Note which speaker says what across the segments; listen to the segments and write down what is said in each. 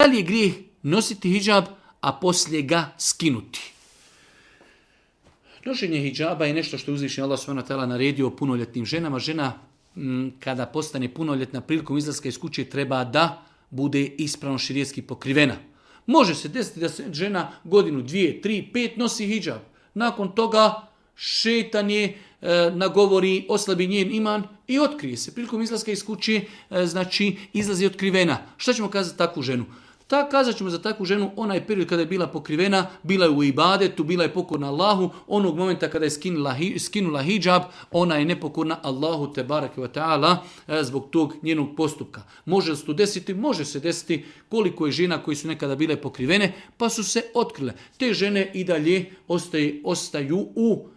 Speaker 1: li je grijeh nositi hidžab, a poslije ga skinuti? Nošenje hidžaba je nešto što je uzvišeni Allah subhanahu wa ta'ala naredio punoljetnim ženama. Žena kada postane punoljetna prilikom izlaska iz kuće treba da bude ispravno širijetski pokrivena. Može se desiti da se žena godinu, 2, 3, 5 nosi hidžab. Nakon toga šetan je nagovori, oslabi njen iman i otkrije se. Prilikom izlaska iz kuće, znači izlazi otkrivena. Šta ćemo kazati takvu ženu? Kazat ćemo za takvu ženu, onaj period kada je bila pokrivena, bila je u ibadetu, bila je pokorna Allahu, onog momenta kada je skinula hidžab, ona je nepokorna Allahu te bareke ve ta'ala zbog tog njenog postupka. Može se to desiti? Može se desiti. Koliko je žena koji su nekada bile pokrivene, pa su se otkrile. Te žene i dalje ostaju u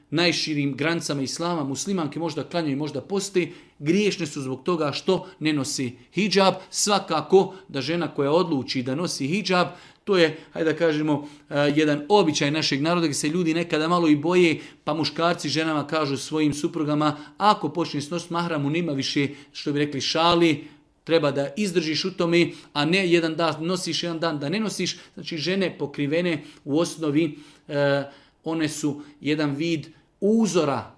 Speaker 1: najširim granicama islama. Muslimanke možda klanjaju, možda poste, griješne su zbog toga što ne nosi hidžab. Svakako da žena koja odluči da nosi hidžab, to je, hajde da kažemo, jedan običaj našeg naroda gdje se ljudi nekada malo i boje, pa muškarci ženama kažu svojim suprugama, ako počneš nositi mahramu, nema više, što bi rekli, šali, treba da izdržiš u tome, a ne jedan dan nosiš, jedan dan da ne nosiš. Znači žene pokrivene u osnovi, one su jedan vid uzora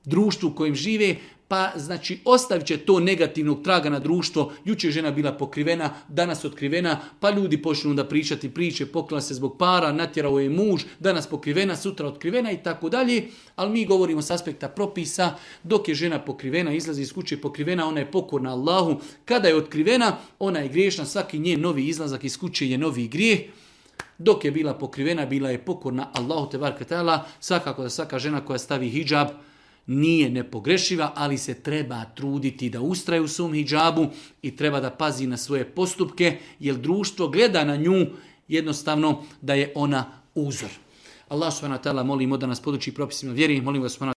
Speaker 1: društvu u kojem žive, pa znači ostavit će to negativnog traga na društvo. Jučer žena bila pokrivena, danas otkrivena, pa ljudi počnu da pričati priče, pokrila se zbog para, natjerao je muž, danas pokrivena, sutra otkrivena i tako dalje. Ali mi govorimo s aspekta propisa, dok je žena pokrivena, izlazi iz kuće pokrivena, ona je pokorna Allahu. Kada je otkrivena, ona je griješna, svaki njen novi izlazak iz kuće je novi grijeh. Dok je bila pokrivena, bila je pokorna Allahu te bareke ta'ala. Svakako da svaka žena koja stavi hidžab nije nepogrešiva, ali se treba truditi da ustraje u svom hidžabu i treba da pazi na svoje postupke, jer društvo gleda na nju jednostavno da je ona uzor. Allah subhanahu wa ta'ala molimo da nas poduči propisima vjeri, molimo ga subhanahu